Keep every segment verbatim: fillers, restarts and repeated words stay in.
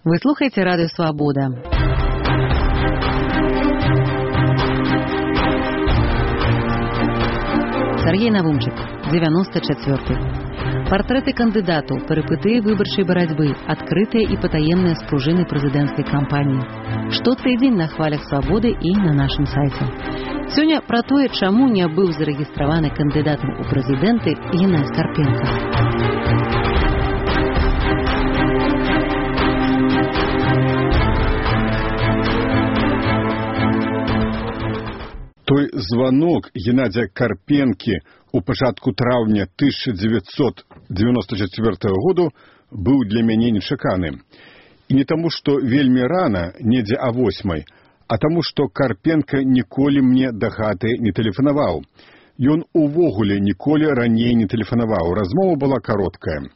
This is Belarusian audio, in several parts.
Вы слухаеце радыё «Свабода». Сергей Навумчык, девяносто четвёрты. Партрэты кандыдатаў, перыпытыі выбарчай барацьбы, адкрытыя і патаемныя спружыны прэзідэнцкай кампаніі. Штотыдзень на хвалях «Свабоды» і на нашым сайце. Сёння пра тое, чаму не быў зарэгістраваны кандыдатам у прэзідэнты Геннадзь Карпенка. Той званок Геннадзя Карпенкі у пачатку траўня тысяча дзевяцьсот дзевяносто чацвёртага году быў для мяне нечаканы. І не таму, што вельмі рана, недзе а восьмай, а таму, што Карпенка ніколі мне да хаты не тэлефанаваў. Ён увогуле ніколі раней не тэлефанаваў. Размова была кароткая.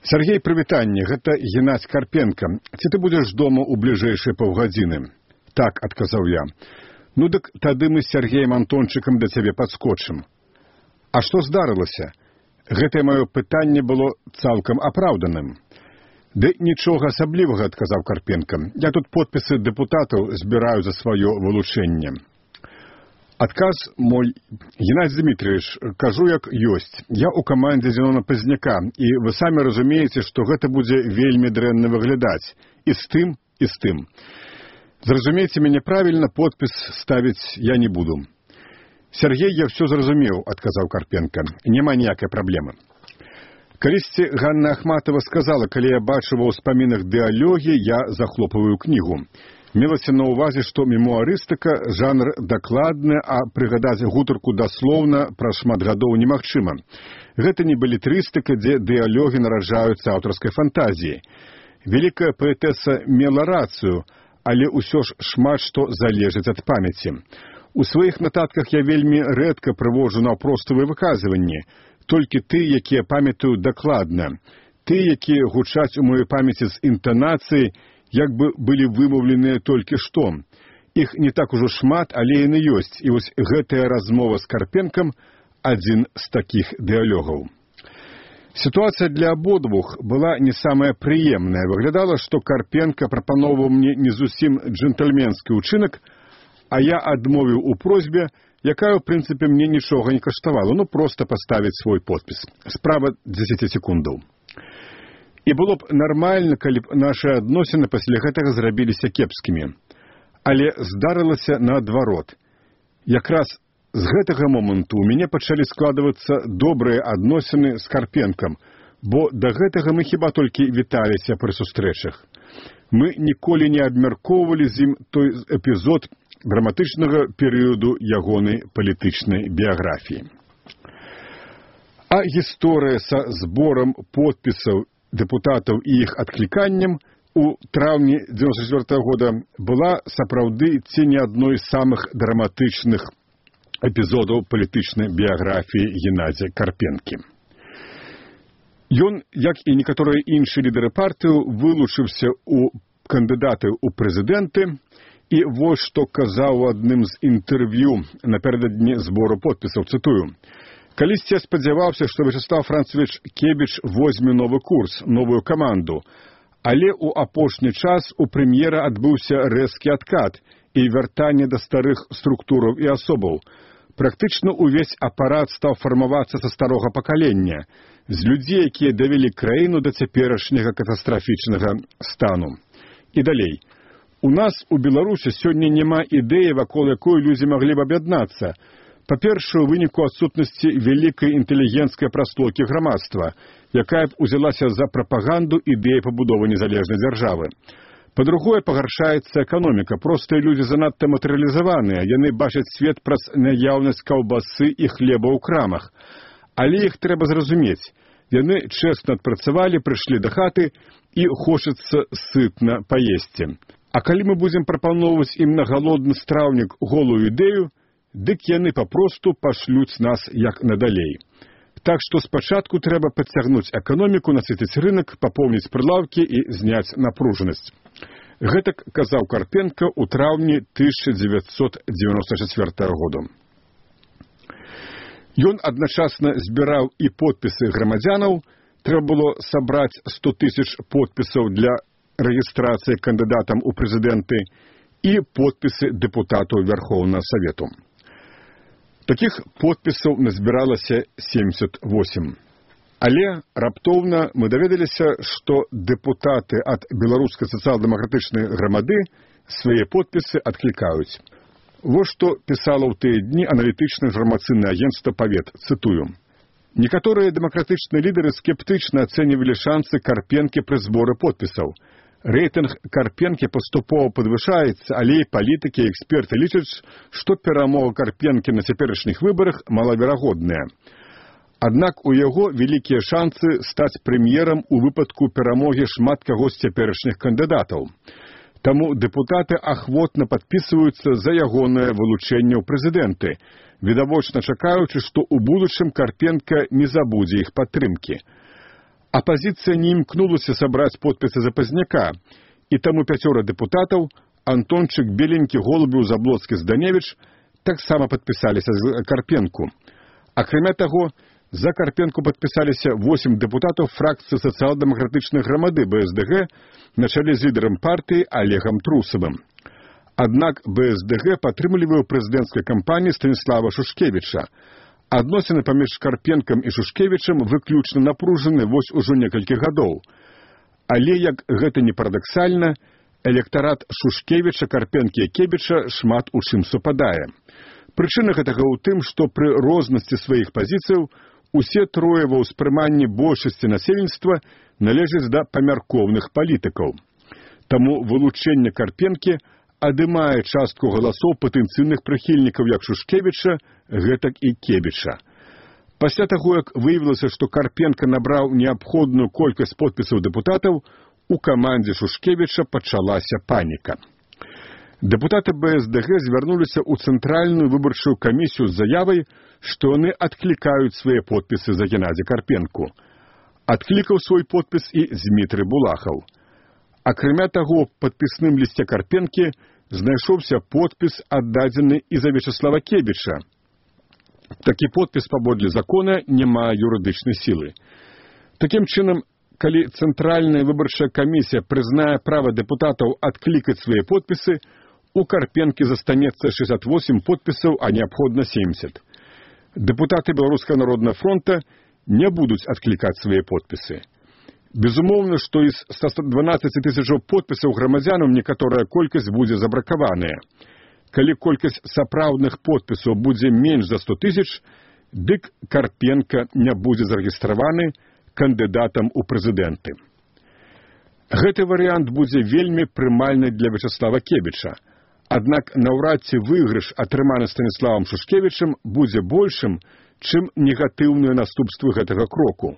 Сергей, прывітанне, гэта Геннадзь Карпенка. Ці ты будзеш дома ў бліжэйшыя паўгадзіны? Так, адказаў я. Ну дык тады мы з Сергеем Антончыкам да цябе падскочым. А што здарылася? Гэтае маё пытанне было цалкам апраўданым. Ды нічога асаблівага, адказаў Карпенка. Я тут подпісы дэпутатаў збіраю за сваё вылучэнне. Адказ мой: Геннадзь Дмитриевич, кажу як ёсць. Я ў камандзе Зенона Пазняка, і вы самі разумееце, што гэта будзе вельмі дрэнна выглядаць. І з тым, і з тым. Зразумейце мяне правільна, подпіс ставіць я не буду. Сергей, я ўсё зразумеў, адказаў Карпенка. Няма ніякай праблемы. Калісьці Ганна Ахматова сказала, калі я бачу ва ўспамінах дыалогі, я захлопваю кнігу. Мелася на ўвазе, што мемуарыстыка жанр дакладны, а прыгадаць гутарку даслоўна праз шмат гадоў немагчыма. Гэта не балетрыстыка, дзе дыалогі нараджаюцца аўтарскай фантазіяй. Вялікая паэтэса мела рацыю, але ўсё ж шмат што залежыць ад памяці. У сваіх нататках я вельмі рэдка прывожу наўпроставыя выказванні, толькі ты, якія памятаю дакладна, ты, якія гучаць у маёй памяці з інтанацыяй, як бы былі вымаўленыя толькі што. Іх не так ужо шмат, але яны ёсць, і вось гэтая размова з Карпенкам адзін з такіх дыалогаў. Сітуацыя для абодвух была не самая прыемная. Выглядала, што Карпенка прапаноўваў мне не зусім джентльменскі ўчынак, а я адмовіў у просьбе, якая, ў прынцыпе, мне нічога не каштавала, ну проста паставіць свой подпіс. Справа дзесяці секундаў. І было б нармальна, калі б нашы адносіны пасля гэтага зрабіліся кепскімі. Але здарылася наадварот. Якраз з гэтага моманту ў мяне пачалі складвацца добрыя адносіны з Карпенкам, бо да гэтага мы хіба толькі віталіся пры сустрэчах. Мы ніколі не абмяркоўвалі з ім той эпізод драматычнага перыяду ягонай палітычнай біяграфіі. А гісторыя са зборам подпісаў дэпутатаў і іх адкліканнем у траўні дзевяносто чацвёртага года была сапраўды ці не адной з самых драматычных эпізодаў палітычнай біяграфіі Геннадзя Карпенкі. Ён, як і некаторыя іншыя лідары партыю, вылучыўся ў кандыдаты ў прэзідэнты, і вось што казаў у адным з інтэрв'ю напярэдадні збору подпісаў, цытую: «Калісьці я спадзяваўся, што Вячеслав Францович Кебіч возьме новы курс, новую каманду, але ў апошні час у прэм'ера адбыўся рэзкі адкат і вяртанне да старых структураў і асобаў. Практычна увесь апарат стаў фармавацца са старога пакалення, з людзей, якія давялі краіну да цяперашняга катастрафічнага стану». І далей. «У нас у Беларусі сёння няма ідэі, вакол якой людзі маглі б аб'яднацца. Па-першае, у выніку адсутнасці вялікай інтэлігенцкай прастокі грамадства, якая б узялася за прапаганду ідэі пабудовы незалежнай дзяржавы. Па-другое, пагаршаецца эканоміка. Простыя людзі занадта матэрыялізаваныя, яны бачаць свет праз наяўнасць каўбасы і хлеба ў крамах. Але іх трэба зразумець. Яны чэсна адпрацавалі, прыйшлі да хаты і хочацца сытна паесці. А калі мы будзем прапаноўваць ім на галодны страўнік голую ідэю, дык яны папросту пашлюць нас як надалей. Так што спачатку трэба падцягнуць эканоміку, насыціць рынак, папоўніць прылаўкі і зняць напружанасць». Гэтак казаў Карпенка ў траўні тысяча дзевяцьсот дзевяносто чацвёртага года. Ён адначасна збіраў і подпісы грамадзянаў, трэба было сабраць сто тысяч подпісаў для рэгістрацыя кандыдатам у прэзідэнты і подпісы дэпутатаў Верхоўнага Савету. Такіх подпісаў назбіралася семьдесят восемь. Але раптоўна мы даведаліся, што дэпутаты ад беларускай сацыял-дэмакратычнай грамады свае подпісы адклікаюць. Вось што пісала ў тыя дні аналітычнае інфармацыйнае агенцтва «Павет», цытую. Некаторыя дэмакратычныя лідары скептычна ацэньвалі шансы Карпенкі пры зборы подпісаў. Рэйтынг Карпенкі паступова падвышаецца, але і палітыкі і эксперты лічаць, што перамога Карпенкі на цяперашніх выбарах малаверагодная. Аднак у яго вялікія шансы стаць прэм'ерам у выпадку перамогі шмат каго з цяперашніх кандыдатаў. Таму дэпутаты ахвотна падпісваюцца за ягонае вылучэнне ў прэзідэнты, відавочна чакаючы, што ў будучым Карпенка не забудзе іх падтрымкі. Апазіцыя не імкнулася сабраць подпісы запазняка, і таму пяцёра дэпутатаў, Антончык, Беленькі, Голубеў, Заблоцкі, Зданевіч, таксама падпісаліся за Карпенку. Акрамя таго, за Карпенку падпісаліся восемь дэпутатаў фракцыі сацыял-дэмакратычнай грамады бэ эс дэ гэ на чале з лідарам партыі Олегам Трусавым. Аднак бэ эс дэ гэ падтрымлівае ў прэзідэнцкай кампаніі Станіслава Шушкевіча. Адносіны паміж Карпенкам і Шушкевічам выключна напружаны вось ужо некалькі гадоў. Але, як гэта не парадаксальна, электарат Шушкевіча, Карпенкі і Кебіча шмат у чым супадае. Прычына гэтага ў тым, што пры рознасці сваіх пазіцыяў усе трое ва ўспрыманні большасці насельніцтва належаць да памяркоўных палітыкаў. Таму вылучэнне Карпенкі адымае частку галасоў патэнцыйных прыхільнікаў як Шушкевіча, гэтак і Кебіча. Пасля таго, як выявілася, што Карпенка набраў неабходную колькасць подпісаў дэпутатаў, у камандзе Шушкевіча пачалася паніка. Дэпутаты бэ эс дэ гэ звярнуліся ў Цэнтральную выбарчую камісію з заявай, што яны адклікаюць свае подпісы за Геннадзя Карпенку. Адклікаў свой подпіс і Змітрый Булахаў. Акрамя таго, падпісным лісце Карпенкі знайшоўся подпіс, аддадзены і за Вячеслава Кебіча. Такі подпіс паводле закона не мае юрыдычнай сілы. Такім чынам, калі Цэнтральная выбарчая камісія прызнае права дэпутатаў адклікаць свае подпісы, у Карпенкі застанецца шэсцьдзесят восемь подпісаў, а неабходна семьдесят. Дэпутаты Беларускага народнага фронта не будуць адклікаць свае подпісы. Безумоўна, што з ста дванаццаці тысячаў подпісаў грамадзянам некаторая колькасць будзе забракаваная. Калі колькасць сапраўдных подпісаў будзе менш за сто тысяч, дык Карпенка не будзе зарэгістраваны кандыдатам у прэзідэнты. Гэты варыянт будзе вельмі прымальны для Вячеслава Кебіча. Аднак наўрад ці выйгрыш, атрыманы Станіславам Шушкевічам, будзе большым, чым негатыўныя наступствы гэтага кроку.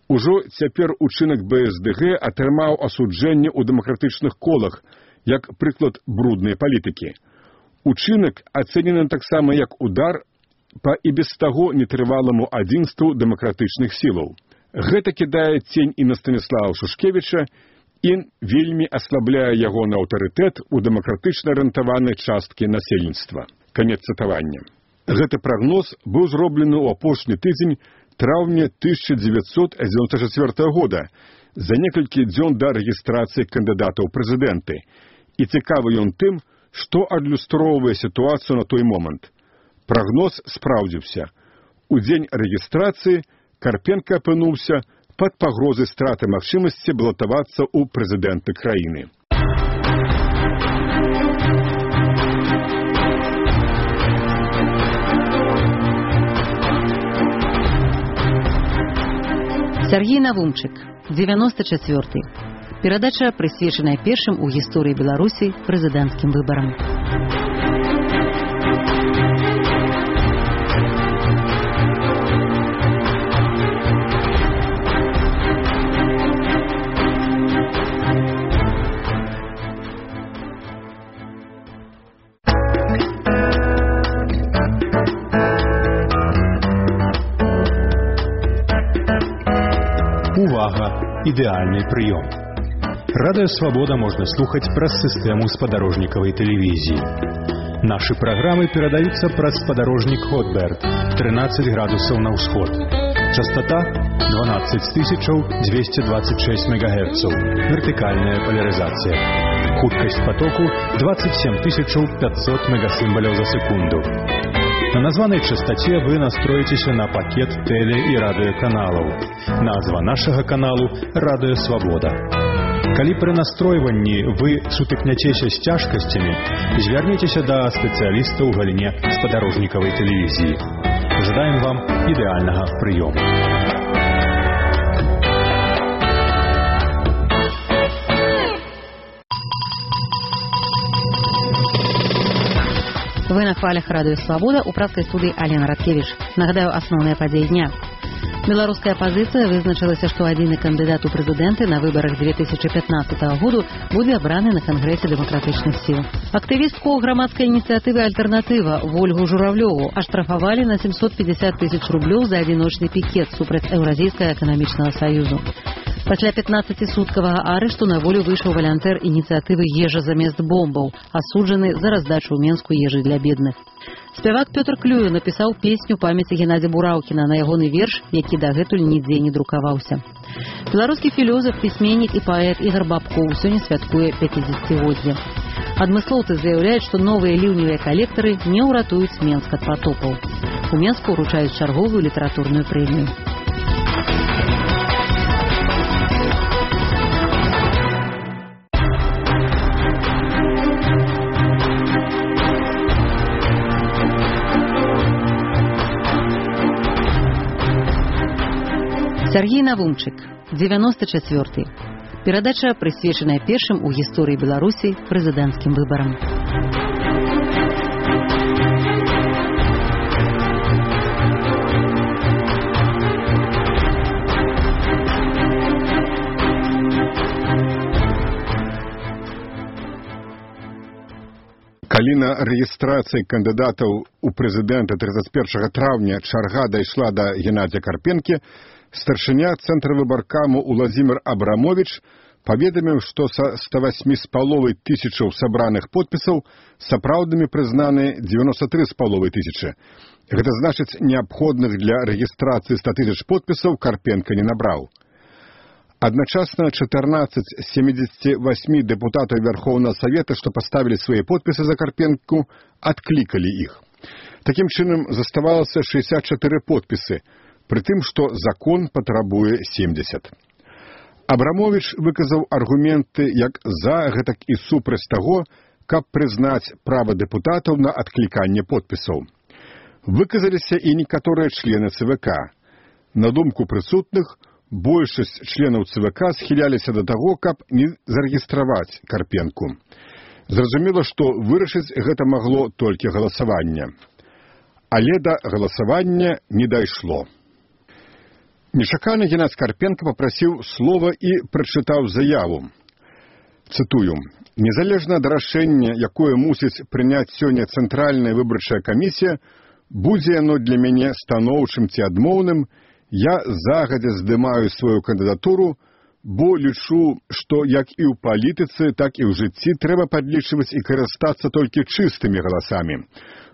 Ужо цяпер учынак бэ эс дэ гэ атрымаў асуджэнне ў дэмакратычных колах, як прыклад бруднай палітыкі. Учынак ацэнены таксама як удар па і без таго нетрываламу адзінству дэмакратычных сілаў. Гэта кідае цень і на Станіслава Шушкевіча, і вельмі аслабляе ягоны аўтарытэт у дэмакратычна арыентаванай часткі насельніцтва. Канец цытавання. Гэты прагноз быў зроблены ў апошні тыдзень траўня тысяча дзевяцьсот дзевяносто чацвёртага года, за некалькі дзён да рэгістрацыі кандыдата ў прэзідэнты. І цікавы ён тым, што адлюстроўвае сітуацыю на той момант. Прагноз спраўдзіўся. У дзень рэгістрацыі Карпенка апынуўся пад пагрозай страты магчымасці балатавацца ў прэзідэнты краіны. Сергей Навумчык, девяносто четвёртый. Перадача прысвечаная першым у гісторыі Беларусі прэзідэнцкім выбарам. Увага! Ідэальны прыём. Радыё Свабода можна слухаць праз сістэму спадарожнікавай тэлевізіі. Нашы праграмы перадаюцца праз спадарожнік Хотберт, трынаццаць градусаў на ўсход. Частота двенадцать тысяч двести двадцать шесть мегагерцаў. Вертикальная поляризация. Хуткость потоку двадцать семь тысяч пятьсот мегасимволов за секунду. На названной частоте вы настроитесь на пакет теле- и радиоканалов. Назва нашего каналу «Радио Свобода». Калі при настройванні вы сутыкняцеся з цяжкасцямі, звярніцеся да спецыяліста ў галіне спадарожнікавай тэлевізіі. Жадаем вам ідэальнага прыёму. Вы на хвалях радио «Свобода», у прадскай студыі Алена Радкевич. Нагадаю, асноўныя падзеі дня. Беларуская апазіцыя вызначылася, што адзіны кандыдат у прэзідэнты на выбарах две тысячи пятнадцатого году будзе абраны на Кангрэсе дэмакратычных сіл. Актывістку грамадскай ініцыятывы «Альтэрнатыва» Вольгу Журавлёву аштрафавалі на семьсот пятьдесят тысяч рублёў за адзіночны пікет супраць Еўразійскага эканамічнага саюзу. Пасля пятнаццацісуткавага арышту на волю выйшаў валянтэр ініцыятывы «Ежа замест бомбаў», асуджаны за раздачу ў Менску ежы для бедных. Спявак Пётр Клюю напісаў песню памяці Геннадзя Бураўкіна на ягоны верш, які дагэтуль нідзе не друкаваўся. Беларускі філёзаф, пісьменнік і паэт Ігар Бабкоў сёння святкуе пяцідзесяцігоддзе. Адмыслоўцы заяўляюць, што новыя ліўневыя калектары не ўратуюць Менск ад патопаў. У Менску ўручаюць чарговую літаратурную прэмію. Сергей Навумчык, девяносто четвёртый. Перадача прысвечаная першым у гісторыі Беларусі прэзідэнцкім выбарам. Калі на рэгістрацыі кандыдатаў у прэзідэнта тридцать первого траўня чарга дайшла да Геннадзя Карпенкі, старшыня цэнтра выбаркаму Уладзімір Абрамович паведаміў, што са ста восьмі з паловай тысячаў сабраных подпісаў сапраўднымі прызнаны девяносто три з паловай тысячы. Гэта значыць, неабходных для рэгістрацыі ста тысяч подпісаў Карпенка не набраў. Адначасна чатырнаццаць з семидесяти восьми дэпутатаў Верховнага Савета, што паставілі свае подпісы за Карпенку, адклікалі іх. Такім чынам заставалася шестьдесят четыре подпісы, пры тым, што закон патрабуе семьдесят. Абрамович выказаў аргументы як за, гэтак і супраць таго, каб прызнаць права дэпутатаў на адкліканне подпісаў. Выказаліся і некаторыя члены ЦВК. На думку прысутных, большасць членаў ЦВК схіляліся да таго, каб не зарэгістраваць Карпенку. Зразумела, што вырашыць гэта магло толькі галасаванне. Але да галасавання не дайшло. Нечакана Геннадзь Карпенка папрасіў слова і прачытаў заяву. Цытую: «Незалежна ад рашэння, якое мусіць прыняць сёння Цэнтральная выбарчая камісія, будзе яно для мяне станоўчым ці адмоўным, я загадзя здымаю сваю кандыдатуру, бо лічу, што як і ў палітыцы, так і ў жыцці трэба падлічваць і карыстацца толькі чыстымі галасамі.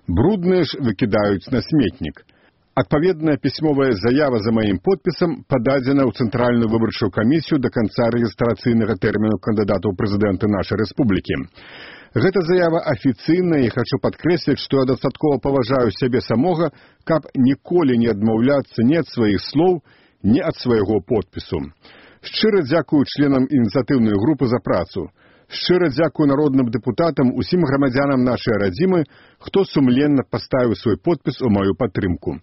Брудныя ж выкідаюць на сметнік. Адпаведная пісьмовая заява за маім подпісам пададзена ў Цэнтральную выбарчую камісію да канца рэгістрацыйнага тэрміну кандыдата ў прэзідэнты нашай рэспублікі. Гэта заява афіцыйная, і хачу падкрэсліць, што я дастаткова паважаю сябе самога, каб ніколі не адмаўляцца ні ад сваіх слоў, ні ад свайго подпісу. Шчыра дзякую членам ініцыятыўнай групы за працу. Шчыра дзякую народным дэпутатам, усім грамадзянам нашай радзімы, хто сумленна паставіў свой подпіс у маю падтрымку.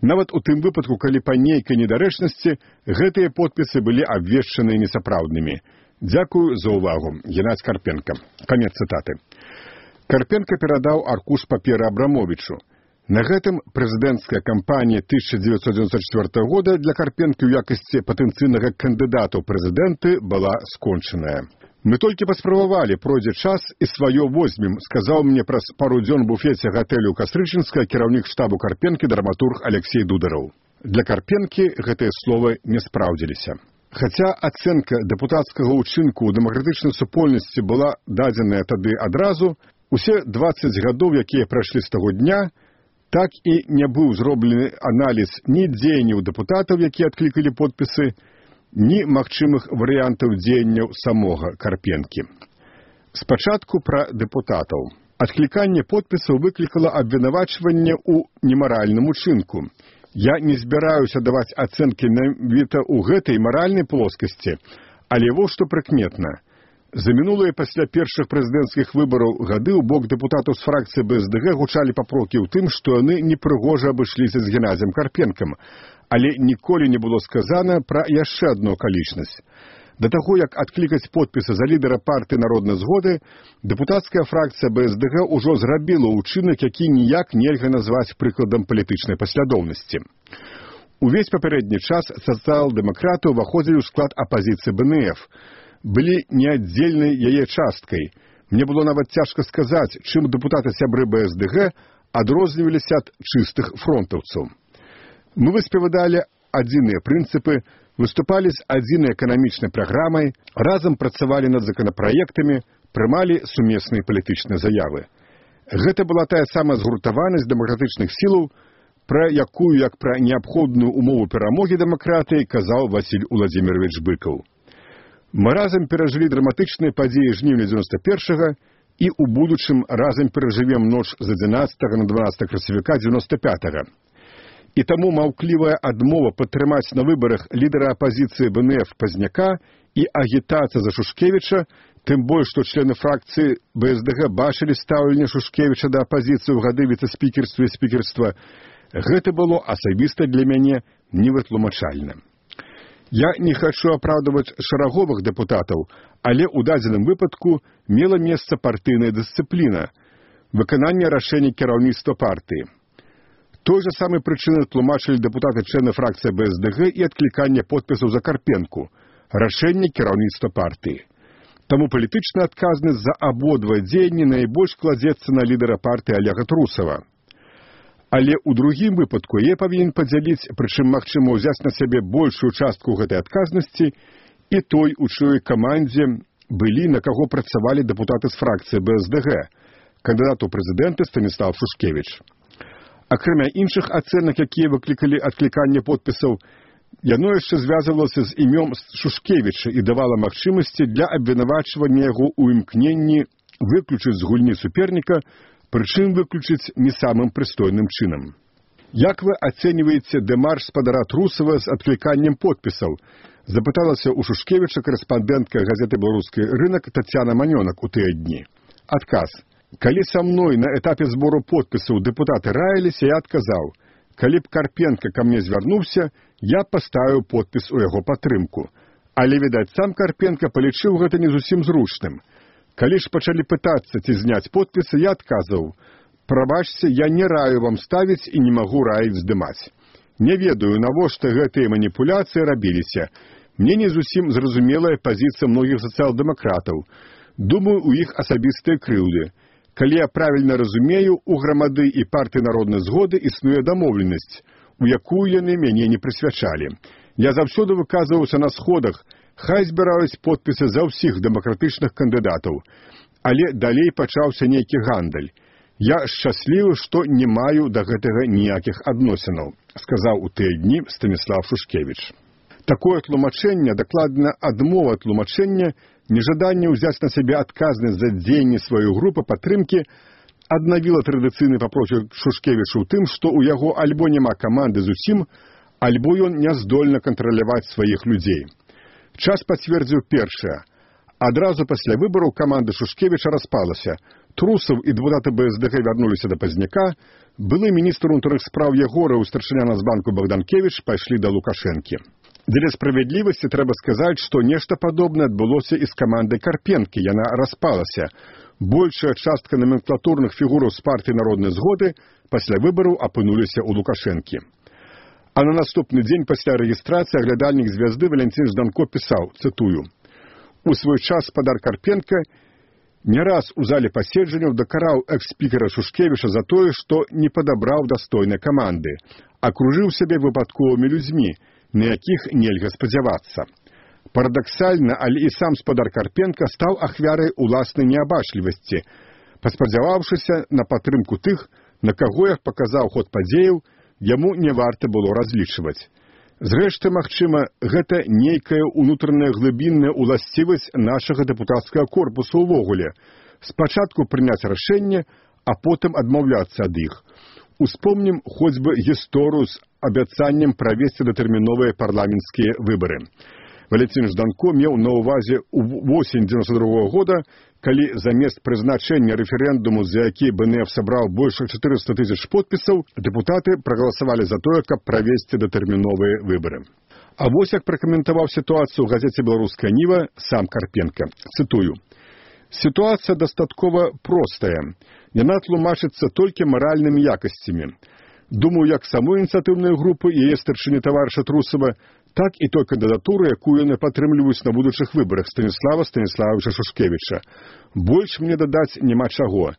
Нават у тым выпадку, калі па нейкай недарэчнасці гэтыя подпісы былі абвешчаны несапраўднымі. Дзякую за ўвагу. Геннадзь Карпенка. Канец цытаты. Карпенка перадаў аркуш паперы Абрамовичу. На гэтым прэзідэнцкая кампанія тысяча девятьсот девяносто четвёртого года для Карпенкі ў якасці патэнцыйнага кандыдата ў прэзідэнты была скончаная. Мы толькі паспрабавалі, пройдзе час і сваё возьмем, сказаў мне праз пару дзён у буфеце гатэлю Кастрычынска кіраўнік штабу Карпенкі драматург Алексей Дудараў. Для Карпенкі гэтыя словы не спраўдзіліся. Хаця ацэнка дэпутацкага ўчынку ў дэмакратычнай супольнасці была дадзеная тады адразу, усе дваццаць гадоў, якія прайшлі з таго дня, Так і не быў зроблены аналіз ні дзеянняў дэпутатаў, якія адклікалі подпісы, ні магчымых варыянтаў дзеянняў самога Карпенкі. Спачатку пра дэпутатаў. Адкліканне подпісаў выклікала абвінавачванне ў немаральным учынку. Я не збіраюся даваць ацэнкі менавіта ў гэтай маральнай плоскасці, але вось што прыкметна. За мінулыя пасля першых прэзідэнцкіх выбараў гады ў бок дэпутатаў з фракцыі бэ эс дэ гэ гучалі папрокі ў тым, што яны непрыгожа абышліся з Геннадзем Карпенкам, але ніколі не было сказана пра яшчэ адну акалічнасць. Да таго, як адклікаць подпісы за лідара партыі народнай згоды, дэпутацкая фракцыя бэ эс дэ гэ ўжо зрабіла ўчынак, які ніяк нельга назваць прыкладам палітычнай паслядоўнасці. Увесь папярэдні час сацыял-дэмакраты ўваходзілі ў склад апазіцыі бэ эн эф, былі неаддзельнай яе часткай. Мне было нават цяжка сказаць, чым дэпутаты-сябры бэ эс дэ гэ адрозніваліся ад чыстых фронтаўцаў. Мы выспавядалі адзіныя прынцыпы, выступалі з адзінай эканамічнай праграмай, разам працавалі над законапраектамі, прымалі сумесныя палітычныя заявы. Гэта была тая самая згуртаванасць дэмакратычных сілаў, пра якую, як пра неабходную умову перамогі дэмакратыі, казаў Васіль Уладзімірович Быкаў. Мы разам перажылі драматычныя падзеі жніўня дзевяноста першага і ў будучым разам перажывем ноч з адзінаццатага на дванаццатае красавіка дзевяноста пятага. І таму маўклівая адмова падтрымаць на выбарах лідара апазіцыі бэ эн эф Пазняка і агітацыя за Шушкевіча, тым больш, што члены фракцыі бэ эс дэ гэ бачылі стаўленне Шушкевіча да апазіцыі ў гады віцэ-спікерства і спікерства, гэта было асабіста для мяне невытлумачальна. Я не хачу апраўдваць шараговых дэпутатаў, але ў дадзеным выпадку мела месца партыйная дысцыпліна, выкананне рашэння кіраўніцтва партыі. Той жа самай прычыны тлумачылі дэпутаты-члены фракцыі бэ эс дэ гэ і адкліканне подпісаў за Карпенку, рашэнне кіраўніцтва партыі. Таму палітычная адказнасць за абодва дзеянні найбольш кладзецца на лідара партыі Олега Трусава. Але ў другім выпадку я павінен падзяліць, прычым магчыма ўзяць на сябе большую частку гэтай адказнасці, і той, у чыёй камандзе былі, на каго працавалі дэпутаты з фракцыі бэ эс дэ гэ, кандыдат у прэзідэнты Станіслав Шушкевіч. Акрамя іншых ацэнак, якія выклікалі адкліканне подпісаў, яно яшчэ звязвалася з імём Шушкевіча і давала магчымасці для абвінавачвання яго ў імкненні выключыць з гульні суперніка, прычым выключыць не самым прыстойным чынам. Як вы ацэньваеце дэмарш спадара Трусава з адкліканнем подпісаў? Запыталася ў Шушкевіча корэспандэнтка газеты «Беларускі рынак» Тацяна Манёнак у тыя дні. Адказ. Калі са мной на этапе збору подпісаў дэпутаты раіліся, я адказаў. Калі б Карпенка ка мне звярнуўся, я паставіў подпіс у яго падтрымку. Але, відаць, сам Карпенка палічыў гэта не зусім зручным. Калі ж пачалі пытацца, ці зняць подпісы, я адказваў. Прабачце, я не раю вам ставіць і не магу раіць здымаць. Не ведаю, навошта гэтыя маніпуляцыі рабіліся. Мне не зусім зразумелая пазіцыя многіх сацыял-дэмакратаў. Думаю, у іх асабістыя крыўды. Калі я правільна разумею, у грамады і партыі народнай згоды існуе дамоўленасць, у якую яны мяне не прысвячалі. Я заўсёды выказваўся на сходах, хай збіраюць подпісы за ўсіх дэмакратычных кандыдатаў. Але далей пачаўся нейкі гандаль. Я шчаслівы, што не маю да гэтага ніякіх адносінаў, сказаў у тыя дні Станіслав Шушкевіч. Такое тлумачэнне, дакладна адмова тлумачэння, нежаданне ўзяць на сябе адказнасць за дзеянні сваёй групы падтрымкі аднавіла традыцыйны папроцік Шушкевічу ў тым, што ў яго альбо няма каманды зусім, альбо ён не здольны кантраляваць сваіх людзей. Час пацвердзіў першае. Адразу пасля выбараў каманда Шушкевіча распалася. Трусаў і дэпутаты бэ эс дэ гэ вярнуліся да Пазняка, былы міністр унутраных спраў Ягораў і старшыня Нацбанку Богданкевіч пайшлі да Лукашэнкі. Для справядлівасці трэба сказаць, што нешта падобнае адбылося і з камандай Карпенкі, яна распалася. Большая частка номенклатурных фігураў з партыі народнай згоды пасля выбараў апынуліся ў Лукашэнкі. А на наступны дзень пасля рэгістрацыі аглядальнік звязды Валянцін Жданко пісаў, цытую: «У свой час спадар Карпенка не раз у зале паседжанняў дакараў экс-спікера Шушкевіча за тое, што не падабраў дастойнай каманды, акружыў сябе выпадковымі людзьмі, на якіх нельга спадзявацца. Парадаксальна, але і сам спадар Карпенка стаў ахвярай уласнай неабачлівасці, паспадзяваўшыся на падтрымку тых, На каго, як паказаў ход падзеяў, яму не варта было разлічваць. Зрэшты, магчыма, гэта нейкая ўнутраная глыбінная ўласцівасць нашага дэпутацкага корпусу ўвогуле. Спачатку прыняць рашэнне, а потым адмаўляцца ад іх. Успомнім хоць бы гісторыю з абяцаннем правесці датэрміновыя парламенцкія выбары. Валентин Жданко меў на ўвазе ў восень дзевяносто другого года, калі замест прызначэння рэферэндуму, за які бэ эн эф сабраў больш чатырыста тысяч подпісаў, дэпутаты прагаласавалі за тое, каб правесці датэрміновыя выбары. А вось як пракаментаваў сітуацыю ў газеце «Беларуская Ніва» сам Карпенка. Цытую. «Ситуация дастаткова простая. Яна тлумачыцца толькі маральнымі якасцямі. Думаю, як самой ініцыятыўнай групы і яе старшыні таварыша Трусава, так і той кандыдатуры, якую яны падтрымліваюць на будучых выбарах Станіслава Станіславовича Шушкевіча. Больш мне дадаць няма чаго.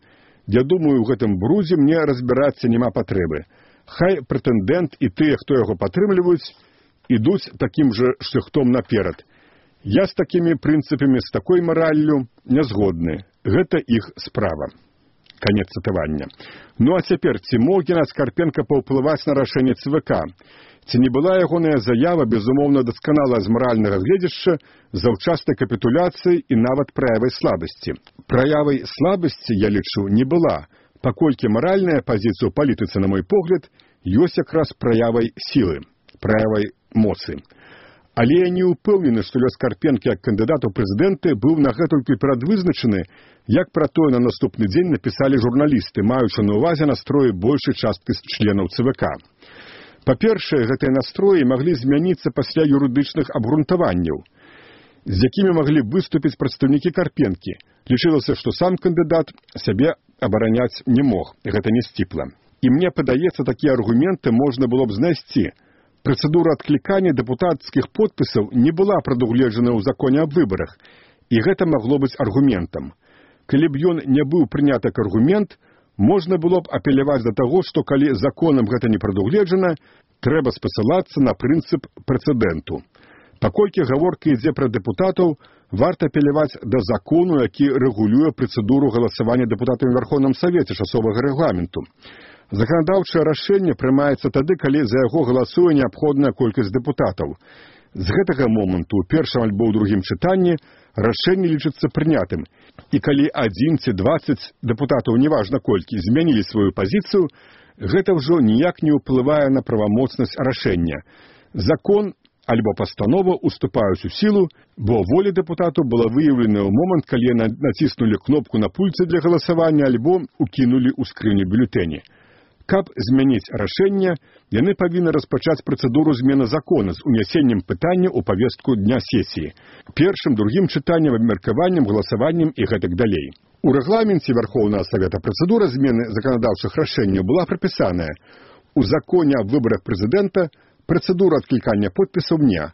Я думаю, у гэтым брудзе мне разбірацца няма патрэбы. Хай прэтэндэнт і тыя, хто яго падтрымліваюць, ідуць такім жа шляхтом наперад. Я з такімі прынцыпамі, з такой мараллю не згодны. Гэта іх справа». Канец цытавання. Ну а цяпер, ці мог Геннадзь Карпенка паўплываць на рашэнне цэ вэ ка? Ці не была ягоная заява, безумоўна, дасканала з маральнага гледзяшча, заўчаснай капітуляцыі і нават праявай слабасці? Праявай слабасці, я лічу, не была, паколькі маральная пазіцыя ў палітыцы, на мой погляд, ёсць якраз праявай сілы, праявай моцы. Але я не ўпэўнены, што лёс Карпенкі як кандыдат у прэзідэнты быў нагэтулькі перадвызначаны, як пра тое на наступны дзень напісалі журналісты, маючы на ўвазе настроі большай часткі членаў цэ вэ ка. Па-першае, гэтыя настроі маглі змяніцца пасля юрыдычных абгрунтаванняў, з якімі маглі выступіць прадстаўнікі Карпенкі. Лічылася, што сам кандыдат сябе абараняць не мог, гэта не сціпла. І мне падаецца, такія аргументы можна было б знайсці. Працэдура адклікання дэпутацкіх подпісаў не была прадугледжана ў законе аб выбарах, і гэта магло быць аргументам. Калі б ён не быў прыняты як аргумент, можна было б апеляваць да таго, што калі законам гэта не прадугледжана, трэба спасылацца на прынцып прэцэдэнту. Паколькі гаворка ідзе пра дэпутатаў, варта апеляваць да закону, які рэгулюе працэдуру галасавання дэпутатамі ў Верховным Савеце часовага рэгламенту. Заканадаўчае рашэнне прымаецца тады, калі за яго галасуе неабходная колькасць дэпутатаў. З гэтага моманту ў першым альбо ў другім чытанні рашэнне лічыцца прынятым. І калі адзін ці дваццаць дэпутатаў, неважна колькі, змянілі сваю пазіцыю, гэта ўжо ніяк не ўплывае на правамоцнасць рашэння. Закон альбо пастанова уступаюць у сілу, бо воля дэпутату была выяўлена ў момант, калі яны націснулі кнопку на пульце для галасавання альбо укінулі ў скрыню бюлетэні. Каб змяніць рашэнне, яны павінны распачаць працэдуру змены закона з унясеннем пытання ў павестку дня сесіі. Першым, другім чытаннем, абмеркаваннем, галасаваннем і гэтак далей. У рэгламенце Верховнага Савета працэдура змены заканадаўчых рашэнняў была прапісаная. У законе аб выбарах прэзідэнта працэдура адклікання подпісаў не,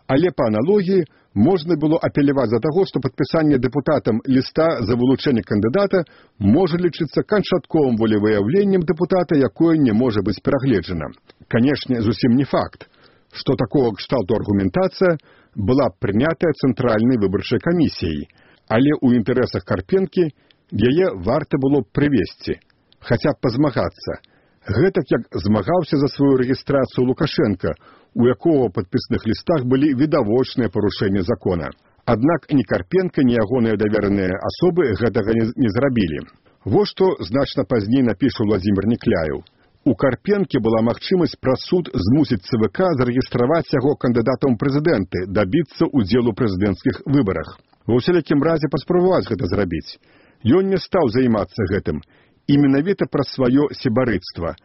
але па аналогіі можна было апеляваць за таго, што падпісанне дэпутатам ліста за вылучэнне кандыдата можа лічыцца канчатковым волевыяўленнем дэпутата, якое не можа быць перагледжана. Канешне, зусім не факт, што такога кшталту аргументацыя была прынятая Цэнтральнай выбарчай камісіяй, але ў інтарэсах Карпенкі яе варта было б прывесці, хаця б пазмагацца. Гэтак як змагаўся за сваю рэгістрацыю Лукашенка, у якого ў падпісных лістах былі відавочныя парушэнні закона. Аднак ні Карпенка, ні ягоныя давераныя асобы гэтага не, не зрабілі. Вось што значна пазней напіша Владзімір Некляеў. У Карпенкі была магчымасць праз суд змусіць цэ вэ ка зарэгістраваць яго кандыдатам прэзідэнты, дабіцца ўдзелу ў прэзідэнцкіх выбарах. Ва ўсялякім разе паспрабаваць гэта зрабіць. Ён не стаў займацца гэтым, і менавіта праз сваё сябарыцтва,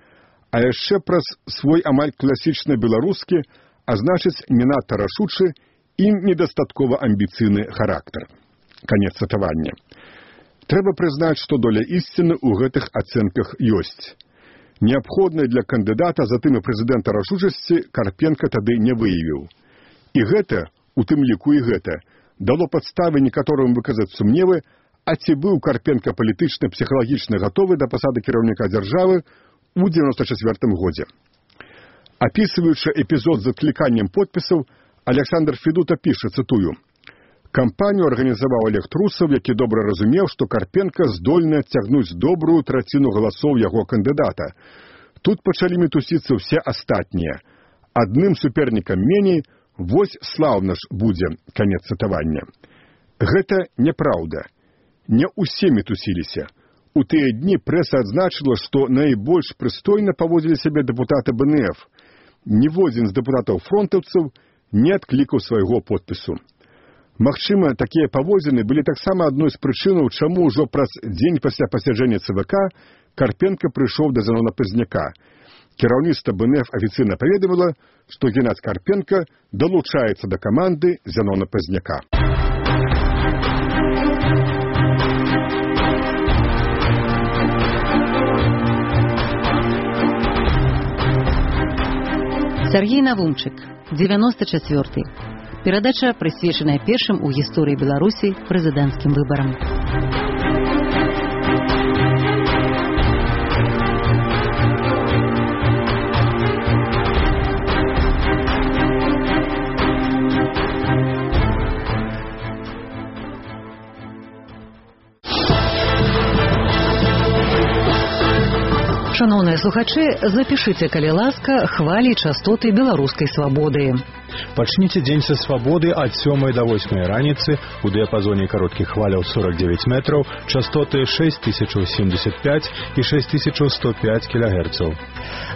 а яшчэ праз свой амаль класічны беларускі, а значыць, не надта рашучы і недастаткова амбіцыйны характар. Канец цытавання. Трэба прызнаць, што доля ісціны ў гэтых ацэнках ёсць. Неабходнай для кандыдата, затым і прэзідэнта рашучасці Карпенка тады не выявіў. І гэта, у тым ліку і гэта, дало падставы некаторым выказаць сумневы, а ці быў Карпенка палітычна, псіхалагічна гатовы да пасады кіраўніка дзяржавы ў дзевяносто чацвёртым годзе. Апісваючы эпізод з адкліканнем подпісаў, Александр Федута піша, цытую, Кампанію арганізаваў Олег Трусаў, які добра разумеў, што Карпенка здольны адцягнуць добрую траціну галасоў яго кандыдата. Тут пачалі мітусіцца ўсе астатнія. Адным супернікам меней, вось слаўна ж будзе, канец цытавання. Гэта няпраўда. Не ўсе мітусіліся. У тыя дні прэса адзначыла, што найбольш прыстойна паводзілі сябе дэпутаты бэ эн эф. Ніводзін з дэпутатаў-фронтаўцаў не адклікаў свайго подпісу. Магчыма, такія паводзіны былі таксама адной з прычынаў, чаму ўжо праз дзень пасля пасяджэння цэ вэ ка Карпенка прыйшоў да Зянона Пазняка. Кіраўніцтва бэ эн эф афіцыйна паведаміла, што Геннадзь Карпенка далучаецца да каманды Зянона Пазняка. Сергей Навумчык, девяносто четвёртый. Перадача прысвечаная першым у гісторыі Беларусі прэзідэнцкім выбарам. Шановныя слухачы, запішыце, калі ласка, хвалі і частоты беларускай свабоды. Пачніце дзень са свабоды ад сёмай да восьмай раніцы у дыяпазоне кароткіх хваляў сорок девять метраў, частоты шесть тысяч семьдесят пять і шесть тысяч сто пять кілагерцаў.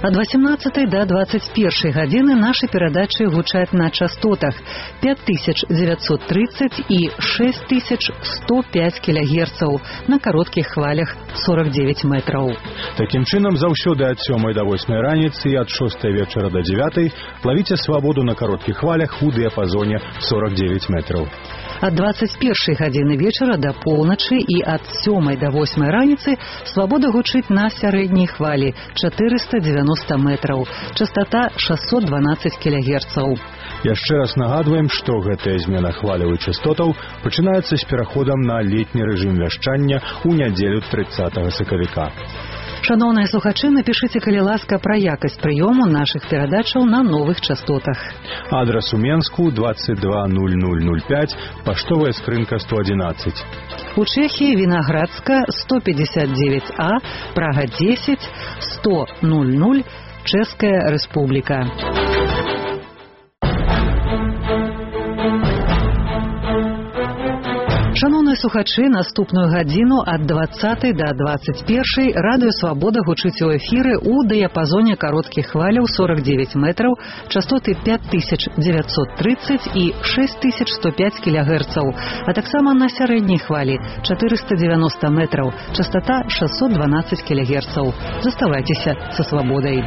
Ад восемнадцатай да двадцать першай гадзіны нашы перадачы гучаць на частотах пять тысяч девятьсот тридцать і шесть тысяч сто пять кілагерцаў на кароткіх хвалях сорок девять метраў. Такім чынам, заўсёды ад сёмай да восьмай раніцы і ад шостай вечара да дзевятай лавіце свабоду на кароткіх хвалях у дыяпазоне сорок девять метраў. Ад двадцать першай гадзіны вечара да поўначы і ад сёмай да восьмай раніцы свабода гучыць на сярэдняй хвалі чатырыста девяносто метраў, частота шестьсот двенадцать кілагерцаў. Яшчэ раз нагадваем, што гэтая змена хваляў і частотаў пачынаецца з пераходам на летні рэжым вяшчання ў нядзелю трыццатага сакавіка. Шановныя слухачы, напішыце, калі ласка, пра якасць прыёму нашых перадачаў на новых частотах. Адрас у Менску двадцать два ноль ноль ноль пять, паштовая скрынка сто одиннадцать. У Чэхіі Вінаградска сто пятьдесят девять А, Прага десять, сто ноль ноль, Чэшская Рэспубліка. Шановныя слухачы, наступную гадзіну ад двадцатай да двадцать першай радыё Свабода гучыць у эфіры ў дыяпазоне кароткіх хваляў сорок девять метраў, частоты пять тысяч девятьсот тридцать і шесть тысяч сто пять кілагерцаў, а таксама на сярэдняй хвалі чатырыста девяносто метраў, частота шестьсот двенадцать кілагерцаў. Заставайцеся са Свабодай.